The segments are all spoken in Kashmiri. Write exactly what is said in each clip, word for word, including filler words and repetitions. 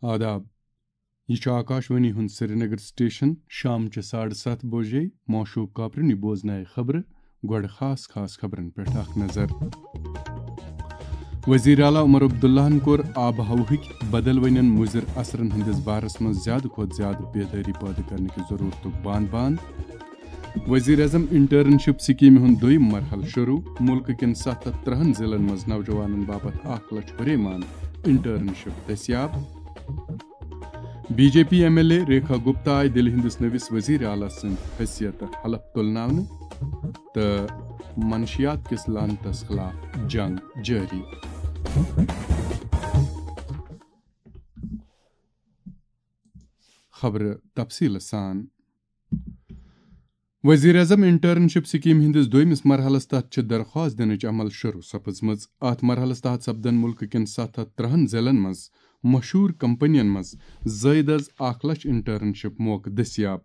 آداب۔ یہِ چھُ آکاشوانی ہُنٛد سرینگر سٹیشن۔ شام چہِ ساڑٕ ستھ بجے معشوق کاپرنی بوزنایہِ خبرٕ۔ گۄڈٕ خاص خاص خبرن پٮ۪ٹھ اکھ نظر۔ وزیر اعلیٰ عمر عبداللہن کوٚر آب و ہوہٕکۍ بدلوٕنٮ۪ن مُضر اثرن ہٕنٛدِس بارس منٛز زیادٕ کھۄتہٕ زیادٕ بیدٲری پٲدٕ کرنہٕ کہِ ضروٗرتُک بان بان۔ وزیر اعظم انٹرنشپ سکیمہِ ہُنٛد دوٚیِم مرحلہٕ شروع۔ مُلکہٕ کٮ۪ن ستھ ہتھ ترٕہن ضلعن منٛز نوجوانن باپتھ اکھ لچھ ہُریمان انٹرنشپ دٔستیاب۔ B J P M L A Rekha Gupta آیہِ دِلہِ ہٕنٛدِس نٔوِس وزیر اعلیٰ سٕنٛدِ حیثیتہٕ حلف تُلناونہٕ تہٕ منشیات کِس لعنتس خلاف جنگ جٲری۔ خبرٕ تفصیٖلہٕ سان۔ وزیر اعظم انٹرنشپ سکیمہِ ہٕنٛدِس دوٚیمِس مرحلس تحت چھِ درخواست دِنٕچ عمل شروع سپٕزمٕژ۔ اتھ مرحلس تحت سپدن مُلکہٕ کٮ۪ن ستھ ہتھ ترٕہن ضلعن منٛز مشہوٗر کمپنین منٛز زٲیدٕ از اکھ لچھ انٹرنشپ موقعہٕ دٔستیاب۔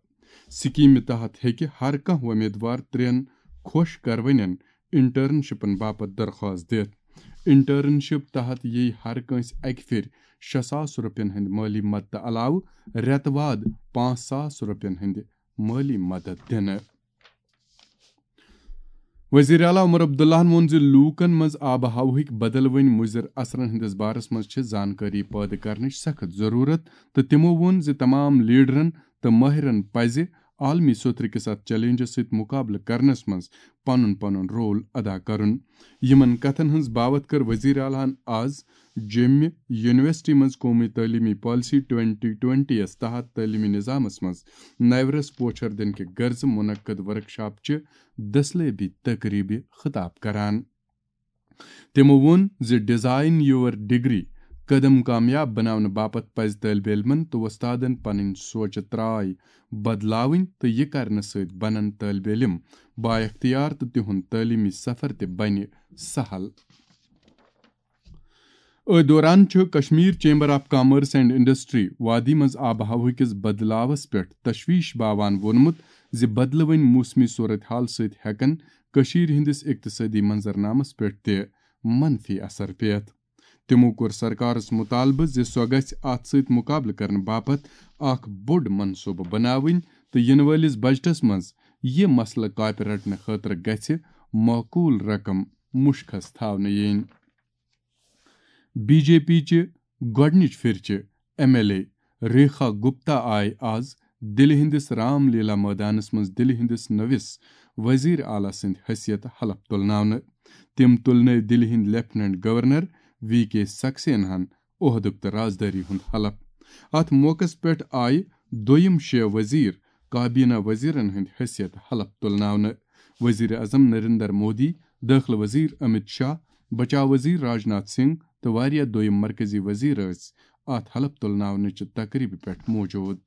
سکیمہِ تحت ہیٚکہِ ہر کانٛہہ وۄمیدوار ترٛٮ۪ن خۄش کروٕنٮ۪ن انٹرنشپن باپتھ درخواست دِتھ۔ انٹرنشپ تحت ییہِ ہر کٲنٛسہِ اکہِ پھِرِ شےٚ ساس رۄپین ہٕنٛدِ مٲلی مدتہٕ علاوٕ رٮ۪تہٕ واد پانٛژھ ساس رۄپین ہٕنٛدِ مٲلی مدد دِنہٕ۔ وزیر اعلیٰ عمر عبداللہن ووٚن زِ لوٗکن منٛز آب و ہوہٕکۍ بدلوٕنۍ مُضر اثرن ہٕنٛدِس بارس منٛز چھِ زانکٲری پٲدٕ کرنٕچ سخت ضروٗرت تہٕ تِمو ووٚن زِ تمام لیڈرن تہٕ مٲہرن پزِ عالمی سوٚتھرِ کِس اتھ چیلنجس سۭتۍ مُقابلہٕ کرنس منٛز پنُن پنُن رول ادا کرُن۔ یِمن کتھن ہٕنٛز باوتھ کٔر وزیر اعلیٰ ہن از جیٚمہِ یونیورسٹی منٛز قومی تعلیمی پالیسی ٹوئنٹی ٹوئنٹی یَس تحت تعلیمی نظامس منٛز نوِ رس پوچھر دِنہٕ کہِ غرضہٕ منعقد ورکشاپ چہِ دٔسلٲبی تقریبہِ خطاب کران۔ تِمو ووٚن زِ ڈیزائن یور ڈگری قدم کامیاب بناونہٕ باپتھ پزِ طٲلبِ علمن تہٕ وۄستادن پنٕنۍ سونچ تراے بدلاوٕنۍ تہٕ یہِ کرنہٕ سۭتۍ بنن طٲلبِ علم بااختیار تہٕ تِہُنٛد تعلیمی سفر تہِ بنہِ سہل۔ أتھۍ دوران چھُ Kashmir chamber of commerce and industry وادی منٛز آب و ہوہٕکِس بدلاوس پٮ۪ٹھ تشویش باوان ووٚنمُت زِ بدلوٕنۍ موسمی صورتحال سۭتۍ ہٮ۪کن کٔشیٖرِ ہٕنٛدِس اقتصٲدی منظرنامس پٮ۪ٹھ تہِ منفی اثر پٮ۪تھ۔ تِمو کوٚر سرکارس مطالبہٕ زِ سۄ گژھِ اتھ سۭتۍ مقابلہٕ کرنہٕ باپتھ اکھ بوٚڑ منصوبہٕ بناوٕنۍ تہٕ یِنہٕ وٲلِس بجٹس منٛز یہِ مسلہٕ کاپہِ رٹنہٕ خٲطرٕ گژھِ معقول رقم مُشخص تھاونہٕ یِنۍ۔ بی جے پی چہِ گۄڈٕنِچ پھِرِ چہِ M L A Rekha Gupta آیہِ آز دِلہِ ہٕنٛدِس رام لیلا مٲدانس منٛز دِلہِ ہٕنٛدِس نٔوِس وزیر اعلیٰ سٕنٛدِ حیثیتہٕ حلف تُلناونہٕ۔ تِم تُلنٲوۍ دِلہِ ہٕنٛدۍ لیفٹیننٹ گورنر وی کے سکسیناہن عہدُک تہٕ رازدٲری ہُنٛد حلف۔ اتھ موقعس پٮ۪ٹھ آیہِ دوٚیِم شےٚ وزیر کابینہ وزیرن ہٕنٛدِ حیثیتہٕ حلف تُلناونہٕ۔ وزیر اعظم نریندر مودی، دٲخلہٕ وزیر امت شاہ، بچاو وزیر راجناتھ سنگھ تہٕ واریاہ دوٚیِم مرکزی وزیر ٲسۍ اتھ حلف تُلناونٕچہِ تقریبہِ پٮ۪ٹھ موجود۔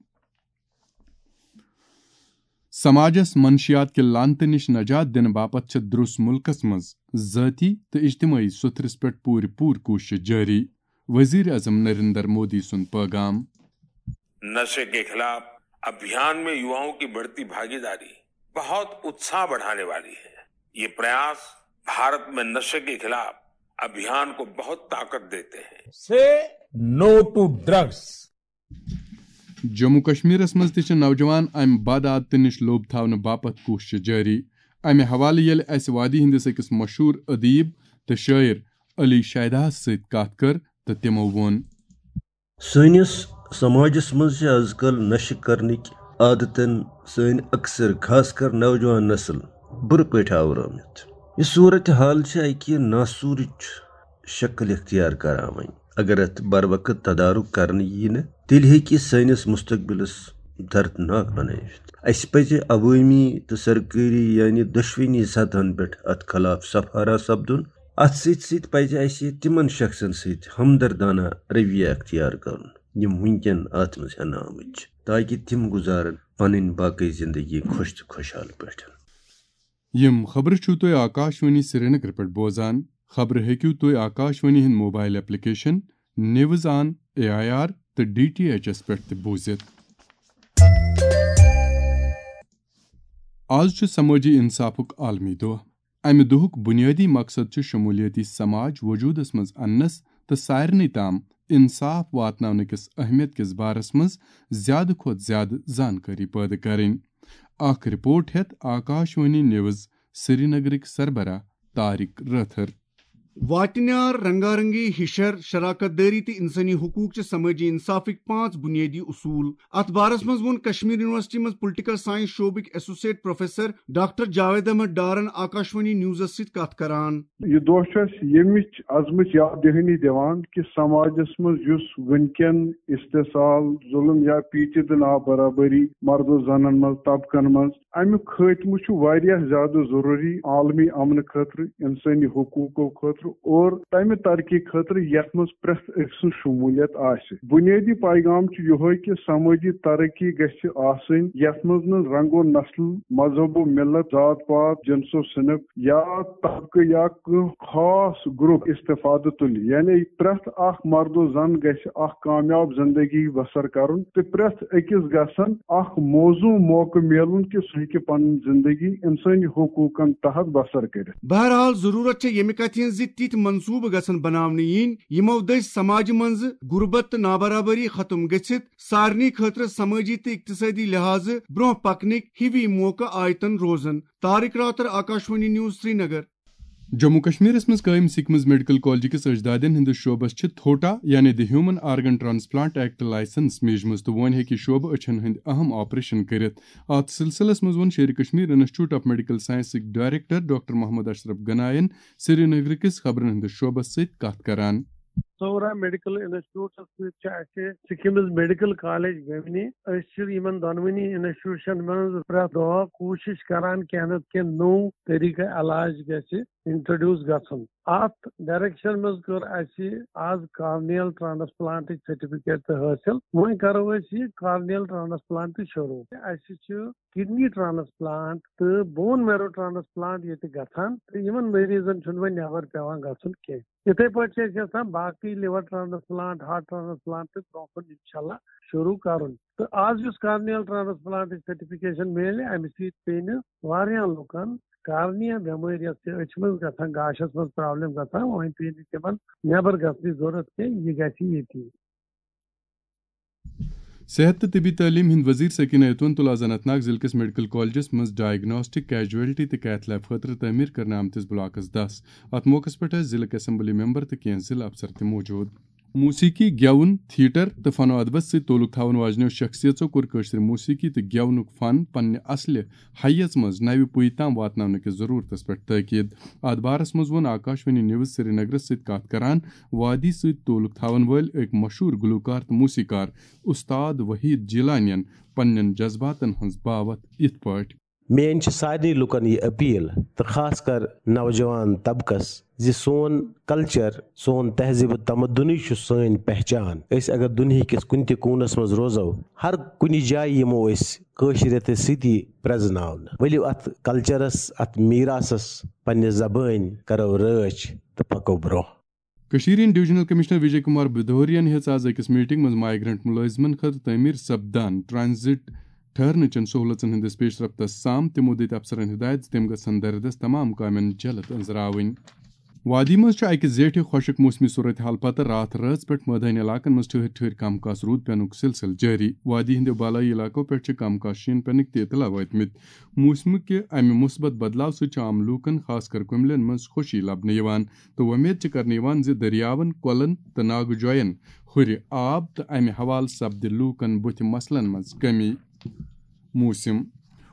سماجس منشیات کہِ لعنتہٕ نِش نجات دِنہٕ باپتھ چھِ درُس مُلکس منٛز ذٲتی تہٕ اجتمٲعی سوٚتھرِس پٮ۪ٹھ پوٗرٕ پوٗرٕ کوٗشش جٲری۔ وزیر اعظم نریندر مودی سُنٛد پٲغام۔ नशे के खिलाफ अभियान में युवाओं की बढ़ती भागीदारी बहुत उत्साह बढ़ाने वाली है। ये प्रयास भारत में नशे के खिलाफ अभियान को बहुत ताकत देते हैं। Say no to drugs. Jammu کشمیرس منٛز تہِ چھِ نوجوان امہِ بد عادتہٕ نِش لوٚب تھاونہٕ باپتھ کوٗشش جٲری۔ امہِ حوالہٕ ییٚلہِ اسہِ وادی ہٕنٛدِس أکِس مشہوٗر ادیب تہٕ شٲعر علی شیداہس سۭتۍ کتھ کٔر تہٕ تِمو ووٚن۔ سٲنِس سماجس منٛز چھِ از کل نشہٕ کرنٕکۍ عادتن سٲنۍ اکثر، خاص کر نوجوان نسل، بُرٕ پٲٹھۍ آورٲومٕتۍ۔ یہِ صورت حال چھِ اکہِ ناسوٗرٕچ شکل اختیار کران۔ وۄنۍ اگر اتھ بر وقت تدارک کرنہٕ ییہِ نہٕ، تیٚلہِ ہیٚکہِ یہِ سٲنِس مستقبلس دردناک بنٲوِتھ۔ اسہِ پزِ عوٲمی تہٕ سرکٲری، یعنی دۄشوٕنی سطحن پٮ۪ٹھ اتھ خلاف صف آرا سپدُن۔ اتھ سۭتۍ سۭتۍ پزِ اسہِ تِمن شخصن سۭتۍ ہمدردانہ رویہ اختیار کرُن، یِم وٕنکٮ۪ن اتھ منٛز ہٮ۪نہٕ آمٕتۍ چھِ، تاکہِ تِم گُزارن پنٕنۍ باقٕے زندگی خۄش تہٕ خۄشحال پٲٹھۍ۔ یِم خبرٕ چھِو تُہۍ آکاشوانی سرینگر پٮ۪ٹھ بوزان۔ خبرٕ ہیٚکِو تُہۍ آکاشوانی ہٕنٛدۍ mobile application news on A I R تہٕ ڈی ٹی ایچ ایس پٮ۪ٹھ تہِ بوٗزِتھ۔ آز چھُ سمٲجی انصافُک عالمی دۄہ۔ امہِ دۄہُک بنیٲدی مقصد چھُ شمولیتی سماج وجودس منٛز اننس تہٕ سارنٕے تام انصاف واتناونہٕ کِس اہمیت کِس بارس منٛز زیادٕ کھۄتہٕ زیادٕ زانکٲری پٲدٕ کرٕنۍ۔ اکھ رپورٹ ہیتھ آکاشوانی نیوز سرینگرٕکۍ سربراہ طارق رٲتھر۔ واٹنیار، رنگارنگی، ہشر، شراکت دٲری تہٕ انسٲنی حقوق چھِ سمٲجی انصافٕکۍ پانٛژھ بُنیٲدی اصوٗل۔ اتھ بارس منٛز ووٚن کشمیر یونیورسٹی منٛز پولیٹیکل سائنس شعبٕکۍ associate professor doctor Javed Ahmad ڈارن آکاشوانی نیوزس سۭتۍ کتھ کران۔ یہِ دۄہ چھُ اَسہِ ییٚمِچ عظمٕچ یاد دہانی دِوان کہِ سماجس منٛز یُس وٕنکٮ۪ن استحصال، ظلم یا پیچیدٕ نابرابری مردو زنن منٛز، طبقن منٛز، اَمیُک خٲتمہٕ چھُ واریاہ زیادٕ ضروٗری عالمی امنہٕ خٲطرٕ، انسٲنی حقوٗقو خٲطرٕ اور تَمہِ ترقی خٲطرٕ یَتھ منٛز پرٛٮ۪تھ أکۍ سٕنٛز شموٗلیت آسہِ۔ بُنیٲدی پیغام چھُ یِہوٚے کہِ سمٲجی ترقی گژھِ آسٕنۍ، یَتھ منٛز نہٕ رنگ و نسل، مذہب و ملت، ذات پات، جنس و صنف یا طبقہٕ یا کانٛہہ خاص گروپ استفادٕ تُلہِ۔ یعنی پرٛٮ۪تھ اکھ مرد و زن گژھِ اکھ کامیاب زندگی بسر کرُن تہٕ پرٛٮ۪تھ أکِس گژھن اکھ موزوں موقعہٕ میلُن کہِ سُہ ہیٚکہِ پنٕنۍ زندگی انسٲنی حقوٗقن تحت بسر کٔرِتھ۔ بہرحال، ضروٗرت چھےٚ ییٚمہِ کتھِ ہٕنٛز زِ تِتھۍ منصوٗبہٕ گژھن بناونہٕ یِنۍ، یِمو دٔسۍ سماجہِ منٛز غربت تہٕ نابرابری ختم گٔژھِتھ سارنٕے خٲطرٕ سمٲجی تہٕ اقتصٲدی لحاظہٕ برٛونٛہہ پکنٕکۍ ہِوی موقعہٕ آیتن روزن۔ طارق راتر، آکاشوانی نیوز، سرینگر۔ جموں کشمیرس منٛز قٲیِم سکمز میڈیکل کالج کِس اجدادن ہٕنٛدِس شعبس چھِ تھوٹا، یعنی the human organ transplant act, licence میجمٕژ تہٕ وۄنۍ ہیٚکہِ شعبہٕ أچھن ہٕنٛدۍ اہم آپریشن کٔرِتھ۔ اتھ سلسلس منٛز ووٚن Sher-i Kashmir institute of medical سائنسٕکۍ ڈائریکٹر ڈاکٹر محمد اشرف گناین سرینگر کِس خبرن ہٕنٛدِس شعبس سۭتۍ کتھ کران۔ سورا میڈیکل انسٹیٹیوٹس سۭتۍ چھِ اَسہِ سکمز میڈیکل کالج ویونی۔ أسۍ چھِ یِمن دۄنوٕنی انسٹیٹیوشن منٛز پرٛٮ۪تھ دۄہ کوٗشش کران کینٛہہ نتہٕ کینٛہہ نوٚو طریقہٕ علاج گژھِ انٹروڈیوس گژھُن۔ اتھ ڈائریکشن منٛز کٔر اَسہِ آز کارنیل ٹرانسپلانٹٕچ سرٹیفکیٹ تہِ حٲصِل۔ وۄنۍ کرو أسۍ یہِ کارنیل ٹرانسپلانٹ تہِ شروع۔ اَسہِ چھِ کڈنی ٹرانسپلانٹ تہٕ بون میرو ٹرانسپلانٹ ییٚتہِ گژھان تہٕ یِمن مریضن چھُنہٕ وۄنۍ نٮ۪بر پٮ۪وان گژھُن کینٛہہ۔ یِتھے پٲٹھۍ چھِ أسۍ یژھان باقٕے لور ٹرانسپلانٹ، ہارٹ ٹرانسپلانٹ تہِ برونٛہہ کُن انشاءاللہ شروع کرُن۔ تہٕ آز یُس کارنیل ٹرانسپلانٹٕچ سرٹیفکیشن میلہِ، اَمہِ سۭتۍ پیٚیہِ نہٕ واریاہن لُکن کارنیا بٮ۪مٲرۍ یۄس چھِ أچھ منٛز گژھان، گاشس منٛز پرابلم گژھان، وۄنۍ پیٚیہِ نہٕ تِمن نٮ۪بر گژھنٕچ ضروٗرت کینٛہہ، یہِ گژھِ ییٚتی۔ صحت تہٕ طبی تعلیٖم ہٕنٛدۍ وزیر سکینہ ایتون تُل آز اننت ناگ ضلعہٕ کِس میڈیکل کالجس منٛز ڈائگناسٹک، کیجویلٹی تہٕ کیتھ لیب خٲطرٕ تعمیٖر کرنہٕ آمتِس بلاکس دس۔ اتھ موقعس پٮ۪ٹھ ٲسۍ ضلعہٕ اسمبلی ممبر تہٕ کینٛہہ ضلعہٕ افسر تہِ موجود۔ موسیقی، گٮ۪وُن، تھیٹر تہٕ فن و ادبس سۭتۍ تعلق تھاون واجنیو شخصیژو کوٚر کٲشرِ موسیقی تہٕ گٮ۪ونُک فن پننہِ اصلہِ حیژ منٛز نوِ پُیہِ تام واتناونہٕ کِس ضرورتس پٮ۪ٹھ تٲکید۔ اتھ بارس منٛز ووٚن آکاشوانی نیوز سرینگرس سۭتۍ کتھ کران وادی سۭتۍ تعلق تھاون وٲلۍ أکۍ مشہوٗر گلوکار تہٕ موسیقار استاد وحید جیلانین پننٮ۪ن جذباتن ہٕنٛز باوتھ یِتھ پٲٹھۍ۔ میٲنۍ چھِ سارنٕے لُکن یہِ اپیل تہٕ خاص کر نوجوان طبقس زِ سون کلچر، سون تہذیب و تمدنٕے چھُ سٲنۍ پہچان۔ أسۍ اگر دُنیہکِس کُنہِ تہِ کوٗنس منٛز روزو، ہر کُنہِ جایہِ یِمو أسۍ کٲشرِیتس سۭتی پرزناونہٕ۔ ؤلِو اتھ کلچرس، اتھ میراثس، پننہِ زبٲنۍ کرو رٲچھ تہٕ پکو برونٛہہ۔ کٔشیٖرِ ہٕنٛدۍ ڈویژنل کمشنر وجے کمار بھدوریَن ہیٚژ آز أکِس میٹنگ منٛز مائیگرنٹ مُلٲزمَن خٲطرٕ تعمیٖر سپدان ٹرانزٹ ٹھہرنہٕ چٮ۪ن سہوٗلژن ہٕنٛدِس پیش رفتس سام۔ تِمو دِتۍ افسرن ہدایت زِ تِم گژھن دردس تمام کامٮ۪ن جلد أنٛزراوٕنۍ۔ وادی منٛز چھُ اَکہِ زیٹھِ خۄشک موسمی صورتحال پتہٕ راتھ رٲژ پٮ۪ٹھ مٲدٲنی علاقن منٛز ٹھٔہرۍ ٹھٔہرۍ کم کاس روٗد پٮ۪نُک سلسلہٕ جٲری۔ وادی ہٕنٛدیو بالٲیی علاقو پٮ۪ٹھ چھِ کم کاس شیٖن پٮ۪نٕکۍ تہِ اطلاع وٲتمٕتۍ۔ موسمہٕ کہِ امہِ مثبت بدلاو سۭتۍ چھِ عام لوٗکن، خاص کر کُملٮ۪ن منٛز خوشی لبنہٕ یِوان۔ تہٕ وۄمید چھِ کرنہٕ یِوان زِ دٔریاون، کۄلن تہٕ ناگہٕ جوین ہُرِ آب تہٕ امہِ حوالہٕ سپدِ لوٗکن بُتھِ مسلن منٛز کمی۔ موسم۔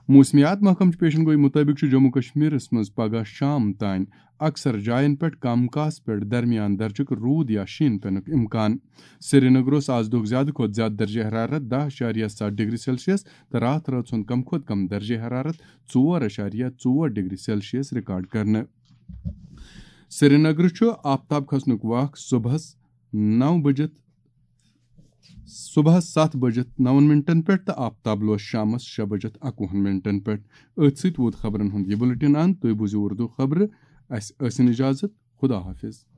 موسمیات محکمہٕ چہِ پیشن گویی مُطٲبِق چھُ جموں کشمیرس منٛز پگہہ شام تام اکثر جاین پٮ۪ٹھ کم کاس پٮ۪ٹھ درمیان درجُک روٗد یا شیٖن پٮ۪نُک امکان۔ سرینگر اوس آز دۄہُک زیادٕ کھۄتہٕ زیادٕ درجہ حرارت دَہ اَشاریہ سَتھ ڈگری سیلسیس تہٕ راتھ رٲژ ہُنٛد کم کھۄتہٕ کم درجہ حرارت ژور اَشاریہ ژور ڈگری سیلسیس ریکارڈ کرنہٕ۔ سرینگرٕ چھُ آفتاب کھسنُک وق صبحس نو بجت، صبحس ستھ بجت نون منٹن پٮ۪ٹھ تہٕ آفتاب لوس شامس شےٚ بجت اَکوُہن منٹن پٮ۪ٹھ۔ أتھۍ سۭتۍ ووت خبرن ہُنٛد یہِ بُلٹن اند۔ تُہۍ بوٗزِو اردو خبرٕ۔ اسہِ ٲسِن اجازت۔ خدا حافظ۔